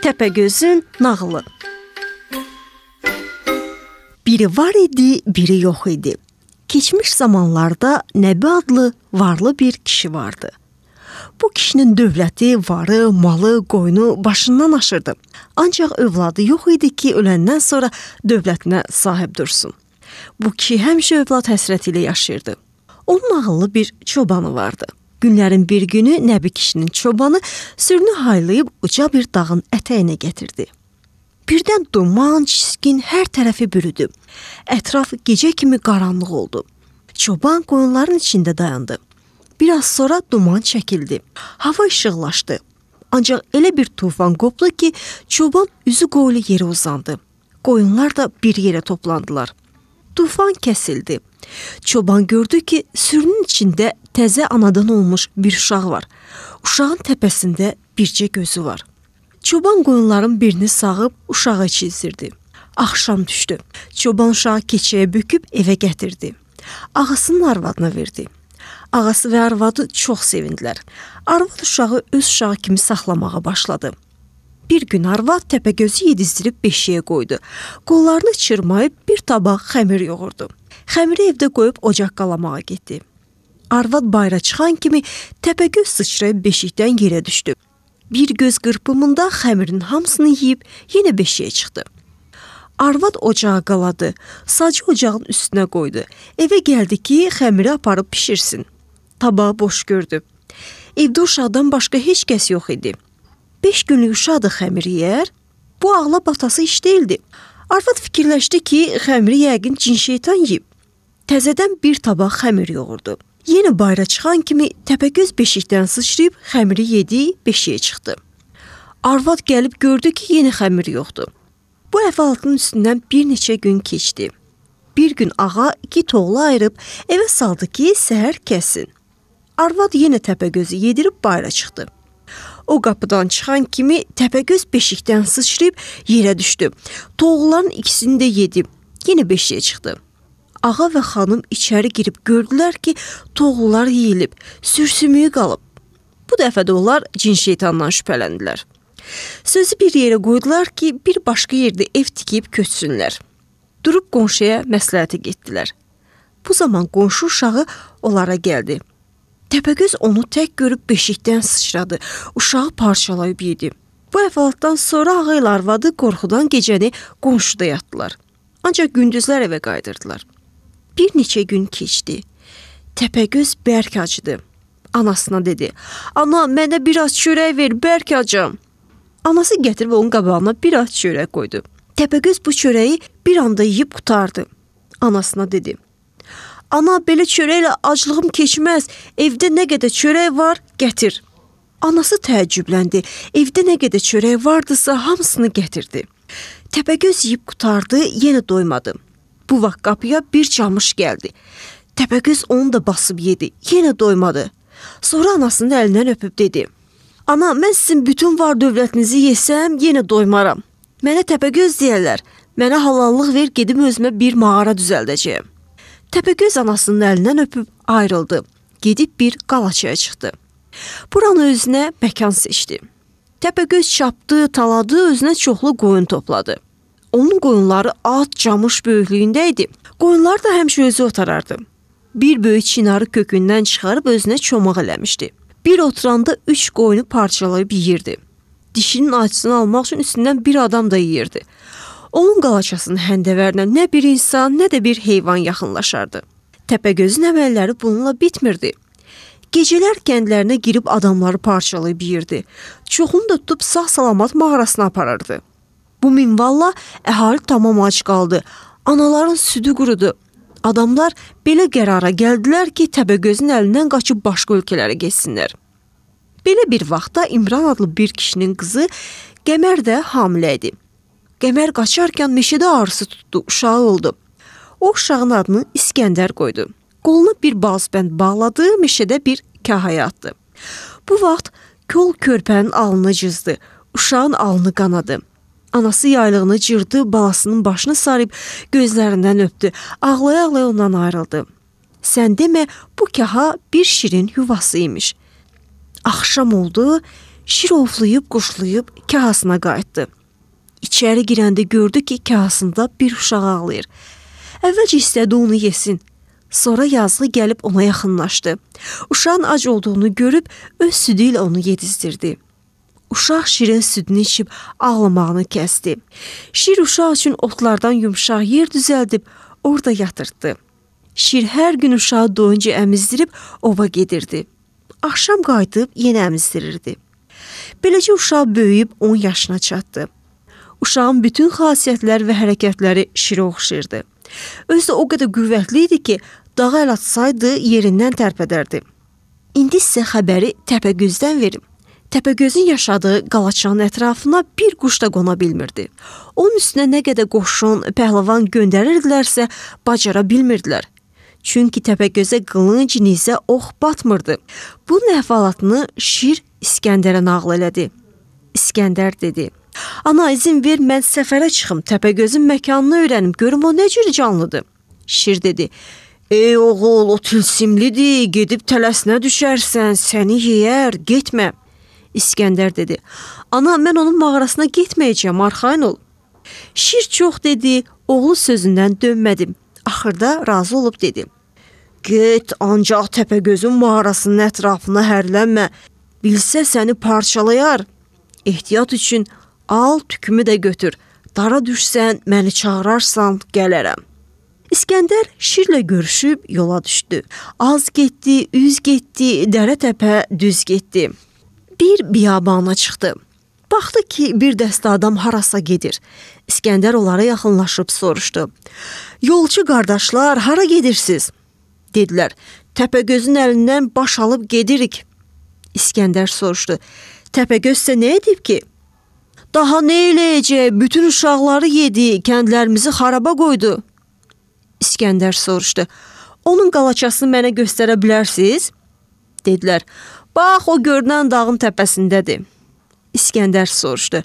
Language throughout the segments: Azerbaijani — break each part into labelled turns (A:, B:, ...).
A: Təpəgözün nağılı. Biri var idi, biri yox idi. Keçmiş zamanlarda Nəbi adlı varlı bir kişi vardı. Bu kişinin dövləti, varı, malı, qoyunu başından aşırdı. Ancaq övladı yox idi ki, öləndən sonra dövlətinə sahib dursun. Bu kişi həmişə övlad həsrəti ilə yaşayırdı. Onun ağıllı bir çobanı vardı. Günlərin bir günü Nəbi kişinin çobanı sürünü haylayıb uca bir dağın ətəyinə gətirdi. Birdən duman, çiskin hər tərəfi bürüdü. Ətraf gecə kimi qaranlıq oldu. Çoban qoyunların içində dayandı. Biraz sonra duman çəkildi. Hava işıqlaşdı. Ancaq elə bir tufan qopdu ki, çoban üzü qoylu yerə uzandı. Qoyunlar da bir yerə toplandılar. Tufan kəsildi. Çoban gördü ki, sürünün içində təzə anadan olmuş bir uşaq var. Uşağın təpəsində bircə gözü var. Çoban qoyunların birini sağıb uşağı çizdirdi. Axşam düşdü. Çoban uşağı keçəyə büküb evə gətirdi. Ağasının arvadına verdi. Ağası və arvadı çox sevindilər. Arvad uşağı öz uşağı kimi saxlamağa başladı. Bir gün arvad Təpəgözü yedizdirib beşiyə qoydu. Qollarını çırmayıb bir tabaq xəmir yoğurdu. Xəmiri evdə qoyub ocaq qalamağa getdi. Arvad bayra çıxan kimi Təpəgöz sıçrayıb beşikdən yerə düşdü. Bir göz qırpımında xəmirin hamısını yeyib yenə beşiyə çıxdı. Arvad ocağa qaladı, sacı ocağın üstünə qoydu. Evə gəldi ki, xəmiri aparıb pişirsin. Tabağı boş gördü. Evdə uşaqdan başqa heç kəs yox idi. 5 günlük uşaq da xəmir yeyər? Bu ağla batası iş değildi. Arvad fikirləşdi ki, xəmiri yəqin cin şeytan yeyib. Təzədən bir tabaq xəmir yoğurdu. Yenə bayra çıxan kimi Təpəgöz beşikdən sıçrayıb xəmiri yedi, beşiyə çıxdı. Arvad gəlib gördü ki, yenə xəmir yoxdur. Bu əhvalatın üstündən bir neçə gün keçdi. Bir gün ağa 2 toğlu ayırıb evə saldı ki, səhər kəsin. Arvad yenə Təpəgözü yedirib bayra çıxdı. O qapıdan çıxan kimi Təpəgöz beşikdən sıçrayıb yerə düşdü. Toğluların ikisini də yedi. Yenə beşiyə çıxdı. Ağa və xanım içəri girib gördülər ki, toğlular yeyilib, sürsümüyü qalıb. Bu dəfə də onlar cin şeytandan şübhələndilər. Sözü bir yerə qoydular ki, bir başqa yerdə ev tikib köçsünlər. Durub qonşuya məsləhətə getdilər. Bu zaman qonşu uşağı onlara gəldi. Təpəgöz onu tək görüb beşikdən sıçradı, uşağı parçalayıb yedi. Bu əhvalatdan sonra ağa ilə arvadı qorxudan gecəni qonşuda yatdılar. Ancaq gündüzlər evə qayıdırdılar. Bir neçə gün keçdi. Təpəgöz bərk acıdı. Anasına dedi, ana mənə biraz çörək ver, bərk acam. Anası gətirib onun qabağına biraz çörək qoydu. Təpəgöz bu çörəyi bir anda yeyib qutardı. Anasına dedi, ana belə çörəklə aclığım keçməz, evdə nə qədər çörək var, gətir. Anası təəccübləndi, evdə nə qədər çörək vardısa hamısını gətirdi. Təpəgöz yeyib qutardı, yenə doymadı. Bu vaxt qapıya bir camış gəldi. Təpəgöz onu da basıb yedi, yenə doymadı. Sonra anasının əlindən öpüb dedi, ana, mən sizin bütün var dövlətinizi yesəm, yenə doymaram. Mənə Təpəgöz deyərlər, mənə halallıq ver, gedim özümə bir mağara düzəldəcəyəm. Təpəgöz anasının əlindən öpüb ayrıldı, gedib bir qalaçaya çıxdı. Buranı özünə məkan seçdi. Təpəgöz çapdı, taladı, özünə çoxlu qoyun topladı. Onun qoyunları at, camış böyüklüyündə idi. Qoyunlar da həmişə özü otarardı. Bir böyük çinarı kökündən çıxarıb özünə çomaq eləmişdi. Bir oturanda 3 qoyunu parçalayıb yeyirdi. Dişinin acısını almaq üçün üstündən bir adam da yeyirdi. Onun qalaçasının həndəvərinə nə bir insan, nə də bir heyvan yaxınlaşardı. Təpəgözün əməlləri bununla bitmirdi. Gecələr kəndlərinə girib adamları parçalayıb yeyirdi. Çoxunu da tutub sağ-salamat mağarasına aparırdı. Bu minvalla əhali tamam ac qaldı. Anaların südü qurudu. Adamlar belə qərara gəldilər ki, Təpəgözün əlindən qaçıb başqa ölkələrə getsinlər. Belə bir vaxtda İmran adlı bir kişinin qızı Qəmər də hamilə idi. Qəmər qaçarkən meşədə ağrısı tutdu, uşağı oldu. O uşağın adını İskəndər qoydu. Qoluna bir balzbənd bağladı, meşədə bir kahaya atdı. Bu vaxt kol körpənin alnını cızdı, uşağın alnı qanadı. Anası yaylığını cırdı, balasının başını sarıb gözlərindən öpdü, ağlaya-ağlaya ondan ayrıldı. Sən demə, bu kaha bir şirin yuvası imiş. Axşam oldu, Şir ovlayıb, quşlayıb kahasına qayıtdı. İçəri girəndə gördü ki, kahasında bir uşaq ağlayır. Əvvəlcə istədi onu yesin. Sonra yazığı gəlib ona yaxınlaşdı. Uşağın ac olduğunu görüb öz südü ilə onu yedizdirdi. Uşaq şirin südünü içib ağlamağını kəsdi. Şir uşaq üçün otlardan yumşaq yer düzəldib orada yatırtdı. Şir hər gün uşağı doyunca əmizdirib ova gedirdi. Axşam qayıdıb yenə əmizdirirdi. Beləcə uşaq böyüyüb 10 yaşına çatdı. Uşağın bütün xasiyyətləri və hərəkətləri şirə oxşayırdı. Özü də o qədər qüvvətli idi ki, dağa əl atsaydı yerindən tərpədərdi. İndi sizə xəbəri Təpəgözdən verim. Təpəgözün yaşadığı qalaçanın ətrafına bir quş da qona bilmirdi. Onun üstünə nə qədər qoşun, pəhləvan göndərirdilərsə, bacara bilmirdilər. Çünki Təpəgözə qılınc, nizə, ox batmırdı. Bunun əhvalatını Şir İskəndərə nağıl elədi. İskəndər dedi: "Ana, izin ver, mən səfərə çıxım, Təpəgözün məkanını öyrənim, görüm o nə cür canlıdır." Şir dedi: "Ey oğul, o tilsimlidir, gedib tələsinə düşərsən, səni yeyər, getmə." İskəndər dedi: "Ana, mən onun mağarasına getməyəcəm, arxayın ol." Şir çox dedi, oğlu sözündən dönmədi. Axırda razı olub dedi: "Get, ancaq Təpəgözün mağarasının ətrafına hərlənmə, bilsə səni parçalayar. Ehtiyat üçün al, tükümü də götür. Dara düşsən, məni çağırarsan, gələrəm." İskəndər Şirlə görüşüb yola düşdü. Az getdi, üz getdi, dərə təpə düz getdi. Bir biyabana çıxdı. Baxdı ki, bir dəstə adam harasa gedir. İskəndər onlara yaxınlaşıb soruşdu: "Yolçu qardaşlar, hara gedirsiniz?" Dedilər: "Təpəgözün əlindən baş alıb gedirik." İskəndər soruşdu: "Təpəgöz isə nə edib ki?" "Daha nə eləyəcək? Bütün uşaqları yedi, kəndlərimizi xaraba qoydu." İskəndər soruşdu: "Onun qalaçasını mənə göstərə bilərsiniz?" Dedilər: "Bax, o görünən dağın təpəsindədir." İskəndər soruşdu: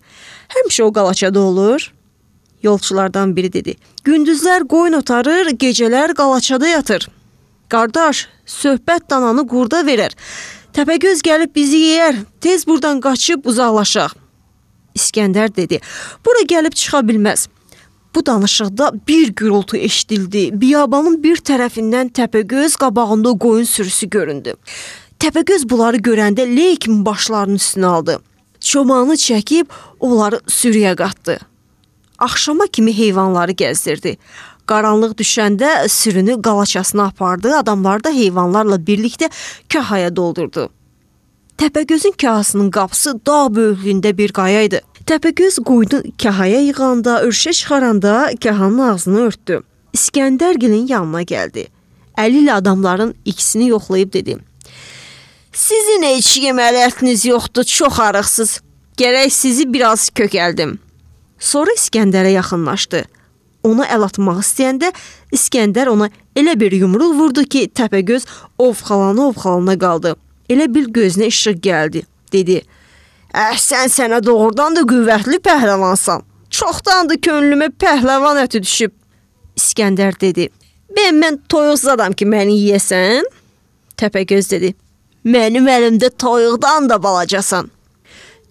A: "Həmişə o qalaçada olur?" Yolçulardan biri dedi: "Gündüzlər qoyun otarır, gecələr qalaçada yatır." "Qardaş, söhbət dananı qurda verər. Təpəgöz gəlib bizi yeyər, tez buradan qaçıb uzaqlaşaq." İskəndər dedi: "Bura gəlib çıxa bilməz." Bu danışıqda bir gürültü eşidildi. Biyabanın bir tərəfindən Təpəgöz, qabağında qoyun sürüsü göründü. Təpəgöz bunları görəndə ley kimi başlarının üstünə aldı. Çobanı çəkib onları sürüyə qatdı. Axşama kimi heyvanları gəzdirdi. Qaranlıq düşəndə sürünü qalaçasına apardı, adamlar da heyvanlarla birlikdə kahaya doldurdu. Təpəgözün kahasının qapısı dağ böyüklüyündə bir qaya idi. Təpəgöz qoyunu kahaya yığanda, örüşə çıxaranda kahanın ağzını örtdü. İskəndərgilin yanına gəldi. Əli ilə adamların ikisini yoxlayıb dedi: "Sizin heç yeməli ətiniz yoxdur, çox arıqsız. Gərək sizi biraz kökəldim." Sonra İskəndərə yaxınlaşdı. Ona əl atmaq istəyəndə İskəndər ona elə bir yumruq vurdu ki, Təpəgöz ovxalana qaldı. Elə bil gözünə işıq gəldi. Dedi: "Sən sənə doğrudan da qüvvətli pəhləvansan. Çoxdandır könlümə pəhləvan əti düşüb." İskəndər dedi: Mən toyuq zadam ki, məni yeyəsən?" Təpəgöz dedi: "Mənim əlimdə toyuqdan da balacasan."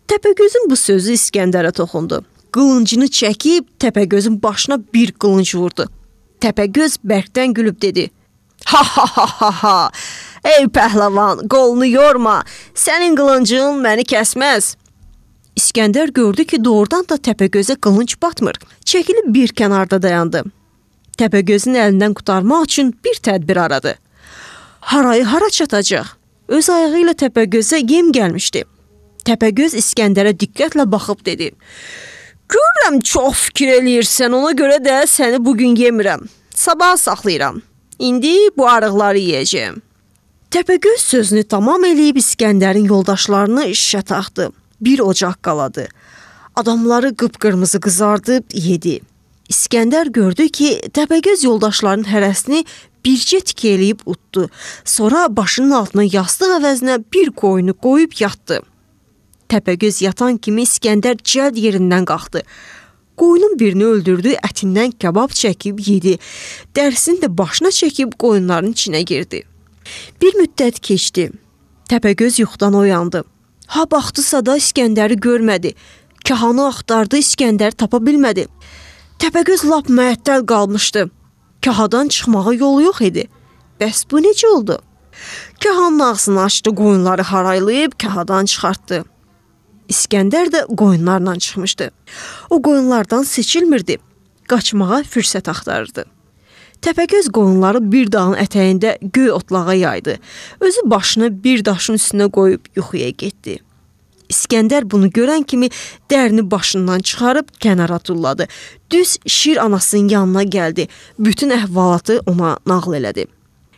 A: Təpəgözün bu sözü İskəndərə toxundu. Qılıncını çəkib Təpəgözün başına bir qılınc vurdu. Təpəgöz bərkdən gülüb dedi: "Ha ha ha ha ha! Ey pəhləvan, qolunu yorma. Sənin qılıncın məni kəsməz." İskəndər gördü ki, doğrudan da Təpəgözə qılınc batmır. Çəkilib bir kənarda dayandı. Təpəgözün əlindən qurtarmaq üçün bir tədbir aradı. Harayı hara çatacaq? Öz ayağı ilə Təpəgözə yem gəlmişdi. Təpəgöz İskəndərə diqqətlə baxıb dedi: "Görürəm çox fikir eləyirsən, ona görə də səni bugün yemirəm. Sabah saxlayıram. İndi bu arıqları yeyəcəm." Təpəgöz sözünü tamam eləyib İskəndərin yoldaşlarını işə taxdı. Bir ocaq qaladı. Adamları qıpqırmızı qızardıb yedi. İskəndər gördü ki, Təpəgöz yoldaşlarının hərəsini bircə tikə eləyib utdu. Sonra başının altına yastıq əvəzinə bir qoyunu qoyub yatdı. Təpəgöz yatan kimi İskəndər cəld yerindən qalxdı. Qoyunun birini öldürdü, ətindən kabab çəkib yedi. Dərisini də başına çəkib qoyunların içinə girdi. Bir müddət keçdi. Təpəgöz yuxudan oyandı. Ha baxdısa da İskəndəri görmədi. Kahanı axtardı, İskəndəri tapa bilmədi. Təpəgöz lap məəttəl qalmışdı. Kahadan çıxmağa yolu yox idi. Bəs bu necə oldu? Kahanın ağzını açdı, qoyunları haraylayıb kahadan çıxartdı. İskəndər də qoyunlarla çıxmışdı. O qoyunlardan seçilmirdi. Qaçmağa fürsət axtarırdı. Təpəgöz qoyunları bir dağın ətəyində göy otlağa yaydı. Özü başını bir daşın üstünə qoyub yuxuya getdi. İskəndər bunu görən kimi dərini başından çıxarıb kənara tulladı. Düz Şir anasının yanına gəldi. Bütün əhvalatı ona nağıl elədi.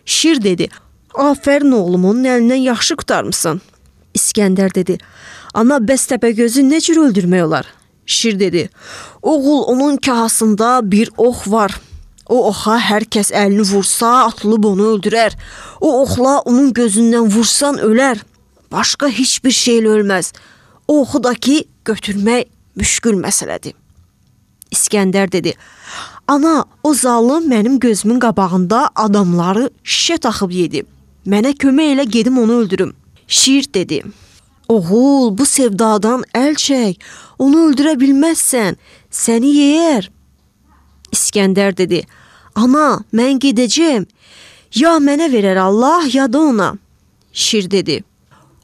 A: Şir dedi, "Afərin oğlum, onun əlindən yaxşı qurtarmısan." İskəndər dedi, "Ana, bəs Təpəgözü nə cür öldürmək olar?" Şir dedi, "Oğul, onun kahasında bir ox var. O oxa hər kəs əlini vursa, atılıb onu öldürər. O oxla onun gözündən vursan ölər. Başqa heç bir şeylə ölməz. O oxu da ki, götürmək müşkül məsələdir." İskəndər dedi, "Ana, o zalım mənim gözümün qabağında adamları şişə taxıb yedi. Mənə kömək elə, gedim onu öldürüm." Şir dedi, "Oğul, bu sevdadan əl çək. Onu öldürə bilməzsən. Səni yeyər." İskəndər dedi, "Ana, mən gedəcəm. Ya mənə verər Allah, ya da ona." Şir dedi,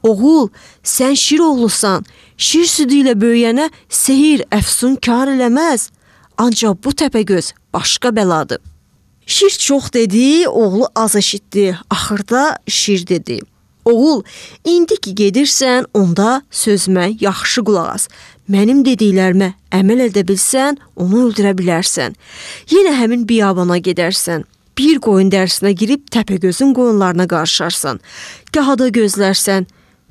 A: "Oğul, sən şir oğlusan. Şir südü ilə böyüyənə sehir, əfsun kar eləməz. Ancaq bu Təpəgöz başqa bəladır." Şir çox dedi, oğlu az eşitdi. Axırda Şir dedi, "Oğul, indi ki gedirsən, onda sözümə yaxşı qulaq as. Mənim dediklərimə əməl edə bilsən, onu öldürə bilərsən. Yenə həmin biyabana gedərsən. Bir qoyun dərsinə girib Təpəgözün qoyunlarına qarışarsan. Gahada gözlərsən,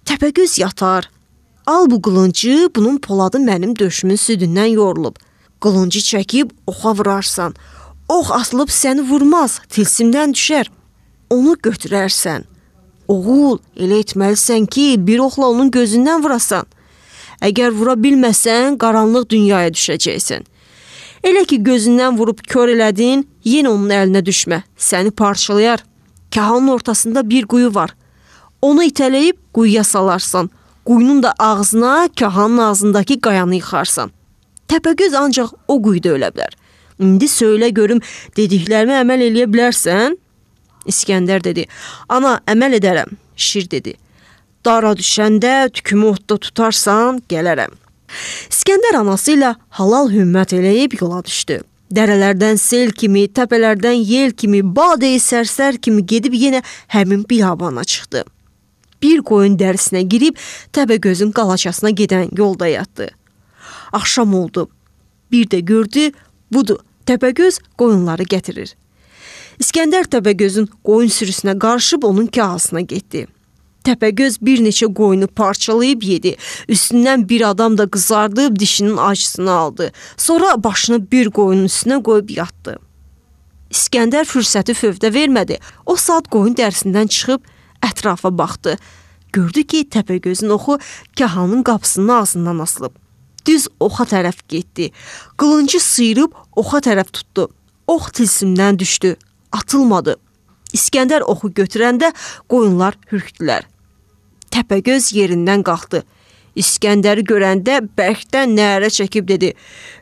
A: Təpəgöz yatar. Al bu qılıncı, bunun poladı mənim döşümün südündən yorulub. Qılıncı çəkib oxa vurarsan. Ox asılıb səni vurmaz, tilsimdən düşər. Onu götürərsən. Oğul, elə etməlisən ki, bir oxla onun gözündən vurasan. Əgər vura bilməsən, qaranlıq dünyaya düşəcəksən. Elə ki gözündən vurub kör elədin, yenə onun əlinə düşmə, səni parçalayar. Kahanın ortasında bir quyu var. Onu itələyib quyuya salarsan. Quyunun da ağzına, kahanın ağzındakı qayanı yıxarsan. Təpəgöz ancaq o quyuda ölə bilər. İndi söylə görüm, dediklərimi əməl eləyə bilərsən?" İskəndər dedi, "Ana, əməl edərəm." Şir dedi, "Dara düşəndə tükümü otda tutarsan, gələrəm." İskəndər anası ilə halal hümmət eləyib yola düşdü. Dərələrdən sel kimi, təpələrdən yel kimi, badeyi sərsər kimi gedib yenə həmin biyabana çıxdı. Bir qoyun dərisinə girib Təpəgözün qalaçasına gedən yolda yatdı. Axşam oldu. Bir də gördü, budur, Təpəgöz qoyunları gətirir. İskəndər Təpəgözün qoyun sürüsünə qarışıb onun kahasına getdi. Təpəgöz bir neçə qoyunu parçalayıb yedi. Üstündən bir adam da qızardıb dişinin acısını aldı. Sonra başını bir qoyunun üstünə qoyub yatdı. İskəndər fürsəti fövdə vermədi. O saat qoyun dərsindən çıxıb ətrafa baxdı. Gördü ki, Təpəgözün oxu kahanın qapısının ağzından asılıb. Düz oxa tərəf getdi. Qılıncı sıyırıb oxa tərəf tutdu. Ox tilsimdən düşdü. Atılmadı. İskəndər oxu götürəndə qoyunlar hürkdülər. Təpəgöz yerindən qalxdı. İskəndəri görəndə bərkdən nərə çəkib dedi,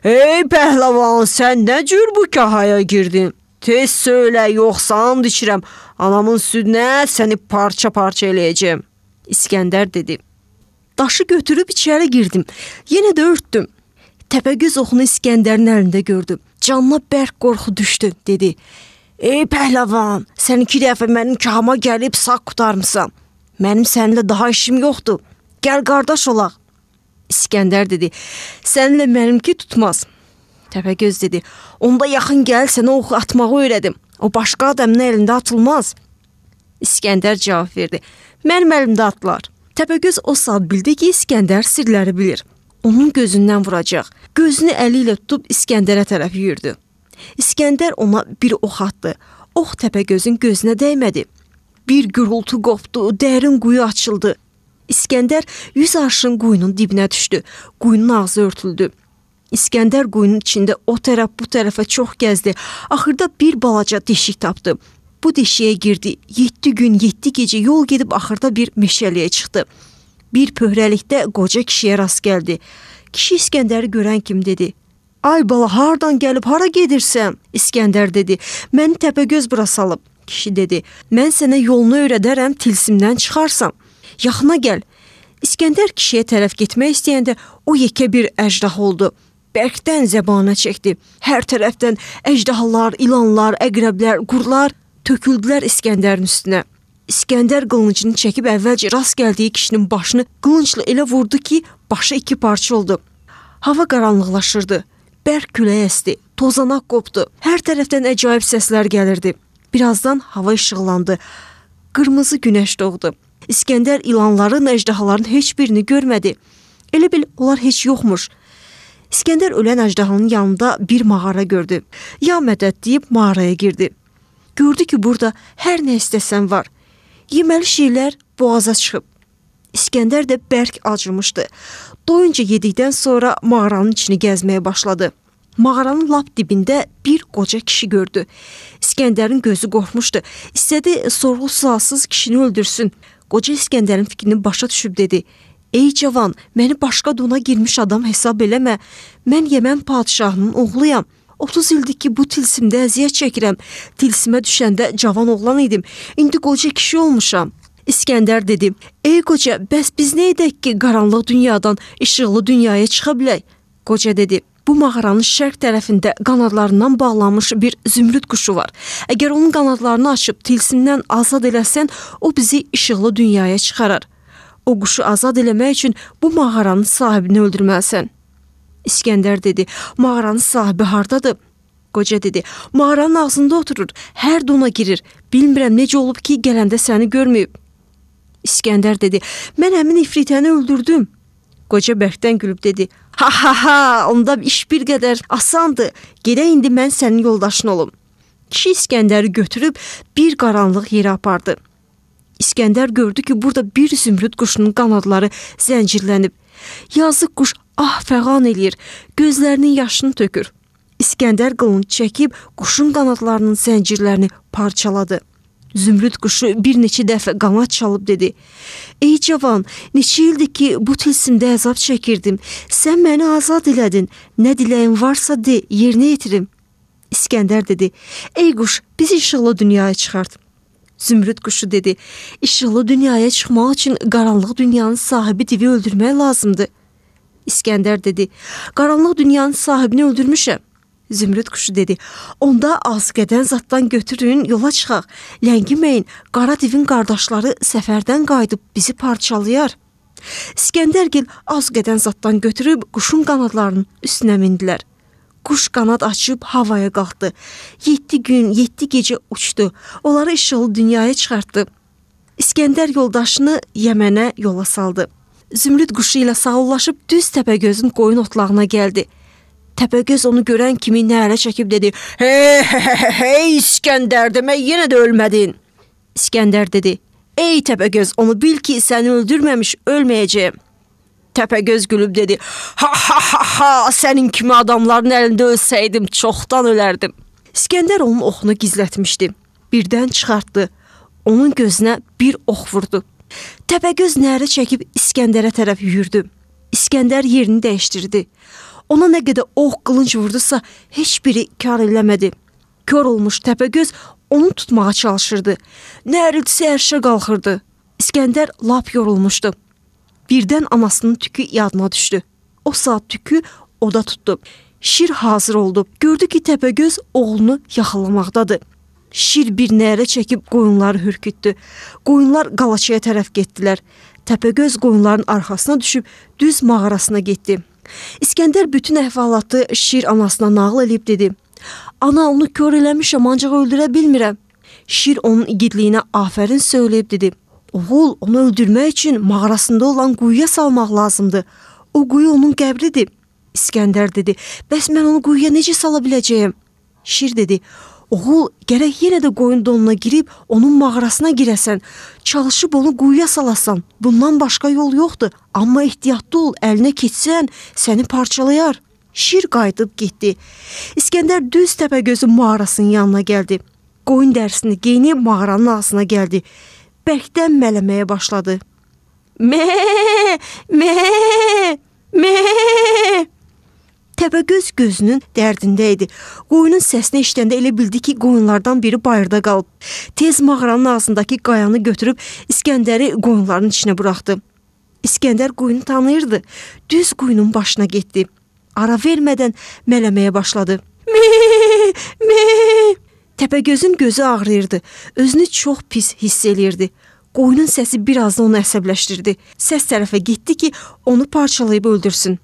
A: "Ey pəhləvan, sən nə cür bu kahaya girdin? Tez söylə, yoxsa and içirəm, anamın südünə səni parça-parça eləyəcəm." İskəndər dedi, "Daşı götürüb içəri girdim, yenə də örtdüm." Təpəgöz oxunu İskəndərin əlində gördü. Canına bərk qorxu düşdü, dedi, "Ey pəhləvan, sən 2 dəfə mənim kahama gəlib sağ qutarmısan. Mənim səninlə daha işim yoxdur. Gəl qardaş olaq." İskəndər dedi, "Səninlə mənimki tutmaz." Təpəgöz dedi, "Onda yaxın gəl, sənə oxu atmağı öyrədim. O başqa adamın əlində atılmaz." İskəndər cavab verdi, "Mənim əlimdə atlar." Təpəgöz o saat bildi ki, İskəndər sirləri bilir. Onun gözündən vuracaq. Gözünü əli ilə tutub İskəndərə tərəf yürüdü. İskəndər ona bir ox atdı. Ox Təpəgözün gözünə dəymədi. Bir gürültü qopdu, dərin quyu açıldı. İskəndər 100 arşın quyunun dibinə düşdü. Quyunun ağzı örtüldü. İskəndər quyunun içində o tərəf bu tərəfə çox gəzdi. Axırda bir balaca deşik tapdı. Bu deşiyə girdi. 7 gün, 7 gecə yol gedib axırda bir meşəliyə çıxdı. Bir pöhrəlikdə qoca kişiyə rast gəldi. Kişi İskəndəri görən kimi dedi: "Ay bala, hardan gəlib, hara gedirsən?" İskəndər dedi: "Məni Təpəgöz bura salıb." Kişi dedi: "Mən sənə yolunu öyrədərəm, tilsimdən çıxarsan. Yaxına gəl." İskəndər kişiyə tərəf getmək istəyəndə o yekə bir əjdah oldu. Bərkdən zəbana çəkdi. Hər tərəfdən əjdahalar, ilanlar, əqrəblər, qurlar töküldülər İskəndərin üstünə. İskəndər qılıncını çəkib əvvəlcə rast gəldiyi kişinin başını qılıncla elə vurdu ki, başı iki parça oldu. Hava qaranlıqlaşırdı. Bərk külək əsdi. Tozanaq qopdu. Hər tərəfdən əcaib səslər gəlirdi. Birazdan hava işıqlandı. Qırmızı günəş doğdu. İskəndər ilanların, əjdahaların heç birini görmədi. Elə bil onlar heç yoxmuş. İskəndər ölən əjdahanın yanında bir mağara gördü. Ya mədəd deyib mağaraya girdi. Gördü ki, burada hər nə istəsən var. Yeməli şeylər boğaza çıxıb. İskəndər də bərk acımışdı. Doyunca yedikdən sonra mağaranın içini gəzməyə başladı. Mağaranın lap dibində bir qoca kişi gördü. İskəndərin gözü qorxmuşdu. İstədi sorğu-sualsız kişini öldürsün. Qoca İskəndərin fikrini başa düşüb dedi: "Ey cavan, məni başqa dona girmiş adam hesab eləmə. Mən Yəmən padşahının oğluyam. 30 ildir ki, bu tilsimdə əziyyət çəkirəm. Tilsimə düşəndə cavan oğlan idim. İndi qoca kişi olmuşam." İskəndər dedi: "Ey qoca, bəs biz nə edək ki, qaranlıq dünyadan işıqlı dünyaya çıxa bilək?" Qoca dedi: "Bu mağaranın şərq tərəfində qanadlarından bağlanmış bir zümrüd quşu var. Əgər onun qanadlarını açıb tilsimdən azad eləsən, o bizi işıqlı dünyaya çıxarar. O quşu azad eləmək üçün bu mağaranın sahibini öldürməlisən." İskəndər dedi: "Mağaranın sahibi hardadır?" Qoca dedi: "Mağaranın ağzında oturur, hər dona girir. Bilmirəm necə olub ki, gələndə səni görməyib." İskəndər dedi: "Mən həmin ifritəni öldürdüm." Qoca bərkdən gülüb dedi: "Ha ha ha, onda iş bir qədər asandır. Gedək indi mən sənin yoldaşın olum." Kişi İskəndəri götürüb bir qaranlıq yerə apardı. İskəndər gördü ki, burada bir zümrüd quşunun qanadları zəncirlənib. Yazıq quş fəğan eləyir, gözlərinin yaşını tökür. İskəndər qılınc çəkib quşun qanadlarının zəncirlərini parçaladı. Zümrüd quşu bir neçə dəfə qanad çalıb dedi: "Ey cavan, neçə ildir ki, bu tilsimdə əzab çəkirdim. Sən məni azad elədin. Nə diləyin varsa de, yerinə yetirim." İskəndər dedi: "Ey quş, bizi işıqlı dünyaya çıxart." Zümrüd quşu dedi: "İşıqlı dünyaya çıxmaq üçün qaranlıq dünyanın sahibi divi öldürmək lazımdır." İskəndər dedi: "Qaranlıq dünyanın sahibini öldürmüşəm." Zümrüd quşu dedi: "Onda azqədən zaddan götürün, yola çıxaq. Ləngiməyin, qara divin qardaşları səfərdən qayıdıb bizi parçalayar." İskəndərgil azqədən zaddan götürüb quşun qanadlarının üstünə mindilər. Quş qanad açıb havaya qalxdı. 7 gün, 7 gecə uçdu. Onları işıqlı dünyaya çıxartdı. İskəndər yoldaşını Yəmənə yola saldı. Zümrüd quşu ilə sağollaşıb düz Təpəgözün qoyun otlağına gəldi. Təpəgöz onu görən kimi nərə çəkib dedi: Hey İskəndər, demək yenə də ölmədin." İskəndər dedi: "Ey Təpəgöz, onu bil ki, səni öldürməmiş ölməyəcəyəm." Təpəgöz gülüb dedi: Ha, sənin kimi adamların əlində ölsəydim, çoxdan ölərdim." İskəndər onun oxunu gizlətmişdi. Birdən çıxartdı. Onun gözünə bir ox vurdu. Təpəgöz nərə çəkib İskəndərə tərəf yürüdü. İskəndər yerini dəyişdirdi. Ona nə qədər ox qılınc vurdusa, heç biri kar eləmədi. Kör olmuş Təpəgöz onu tutmağa çalışırdı. Nəriltisi ərşə qalxırdı. İskəndər lap yorulmuşdu. Birdən anasının tükü yadına düşdü. O saat tükü oda tutdu. Şir hazır oldu. Gördü ki, Təpəgöz oğlunu yaxalamaqdadır. Şir bir nərə çəkib qoyunları hürkütdü. Qoyunlar qalaçaya tərəf getdilər. Təpəgöz qoyunların arxasına düşüb düz mağarasına getdi. İskəndər bütün əhvalatı Şir anasına nağıl edib dedi: "Ana, onu kör eləmişəm, ancaq öldürə bilmirəm." Şir onun igidliyinə afərin söyləyib dedi: "Oğul, onu öldürmək üçün mağarasında olan quyuya salmaq lazımdır. O quyu onun qəbridir." İskəndər dedi: "Bəs mən onu quyuya necə sala biləcəyəm?" Şir dedi: "Oğul, gərək yenə də qoyun donuna girib onun mağarasına girəsən. Çalışıb onu quyuya salasan. Bundan başqa yol yoxdur. Amma ehtiyatlı ol, əlinə keçsən səni parçalayar." Şir qayıdıb getdi. İskəndər düz Təpəgözün mağarasının yanına gəldi. Qoyun dərisini geyinib mağaranın ağzına gəldi. Bərkdən mələməyə başladı. Me, me, me. Təpəgöz gözünün dərdində idi. Qoyunun səsini eşidəndə elə bildi ki, qoyunlardan biri bayırda qalıb. Tez mağaranın ağzındakı qayanı götürüb İskəndəri qoyunların içinə buraxdı. İskəndər qoyunu tanıyırdı. Düz qoyunun başına getdi. Ara vermədən mələməyə başladı. Me, me. Təpəgözün gözü ağrıyırdı. Özünü çox pis hiss eləyirdi. Qoyunun səsi biraz da onu əsəbləşdirdi. Səs tərəfə getdi ki, onu parçalayıb öldürsün.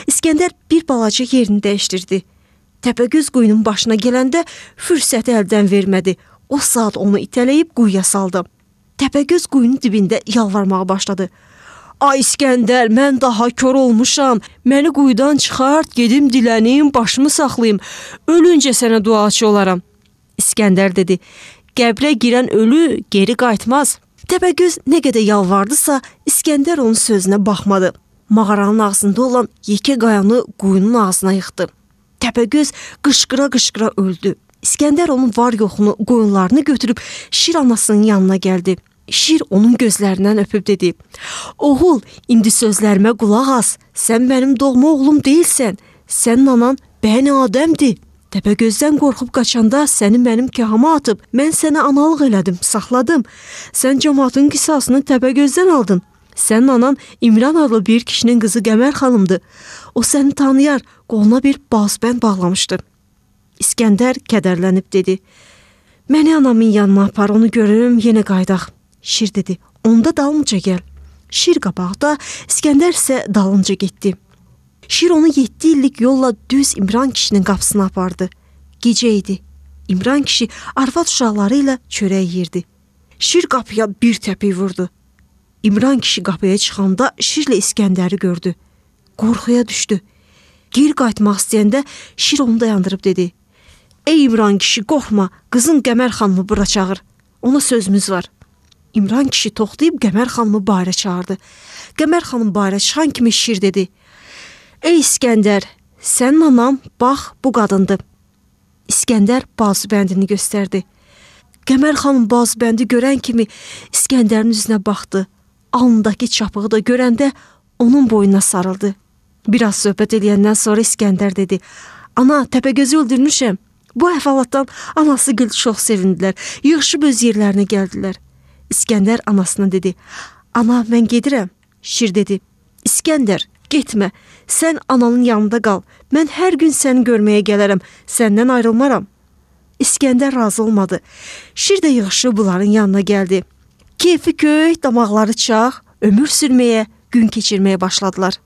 A: İskəndər bir balaca yerini dəyişdirdi. Təpəgöz qoyunun başına gələndə fürsəti əldən vermədi. O saat onu itələyib quyuya saldı. Təpəgöz quyunun dibində yalvarmağa başladı. Ay İskəndər, mən daha kör olmuşam. Məni quyudan çıxart, gedim dilənim, başımı saxlayım. Ölüncə sənə duaçı olaram. İskəndər dedi, qəbrə girən ölü geri qayıtmaz. Təpəgöz nə qədər yalvardısa, İskəndər onun sözünə baxmadı. Mağaranın ağzında olan yekə qayanı quyunun ağzına yıxdı. Təpəgöz qışqıra-qışqıra öldü. İskəndər onun var yoxunu, qoyunlarını götürüb Şir anasının yanına gəldi. Şir onun gözlərindən öpüb dedi, oğul, indi sözlərimə qulaq as, sən mənim doğma oğlum deyilsən, sənin anan Bəni Adəmdir. Təpəgözdən qorxub qaçanda səni mənim kahama atıb, mən sənə analıq elədim, saxladım. Sən cəmaatın qisasını Təpəgözdən aldın. Sənin anan İmran adlı bir kişinin qızı Qəmər xanımdır. O səni tanıyar, qoluna bir bazbənd bağlamışdı. İskəndər kədərlənib dedi, məni anamın yanına apar, onu görürüm, yenə qaydaq. Şir dedi, onda dalınca gəl. Şir qabaqda, İskəndər isə dalınca getdi. Şir onu 7 illik yolla düz İmran kişinin qapısına apardı. Gecə idi. İmran kişi arvad uşaqları ilə çörək yeyirdi. Şir qapıya bir təpik vurdu. İmran kişi qapıya çıxanda Şirlə İskəndəri gördü. Qorxuya düşdü. Geri qayıtmaq istəyəndə Şir onu dayandırıb dedi. Ey İmran kişi, qorxma, qızın Qəmər xanımı bura çağır. Ona sözümüz var. İmran kişi toxtayıb Qəmər xanımı bayıra çağırdı. Qəmər xanım bayıra çıxan kimi Şir dedi. Ey İskəndər, sənin anam, bax, bu qadındır. İskəndər bazıbəndini göstərdi. Qəmər xanım bazıbəndi görən kimi İskəndərin üzünə baxdı. Alnındakı çapığı da görəndə onun boynuna sarıldı. Biraz söhbət eləyəndən sonra İskəndər dedi. Ana, Təpəgözü öldürmüşəm. Bu əhvalatdan anası gül çox sevindilər. Yığışıb öz yerlərinə gəldilər. İskəndər anasına dedi. Ana, mən gedirəm. Şir dedi. İskəndər, getmə. Sən ananın yanında qal. Mən hər gün səni görməyə gələrəm. Səndən ayrılmaram. İskəndər razı olmadı. Şir də yığışıb bunların yanına gəldi. Keyfi köyük, damaqları çağ, ömür sürməyə, gün keçirməyə başladılar.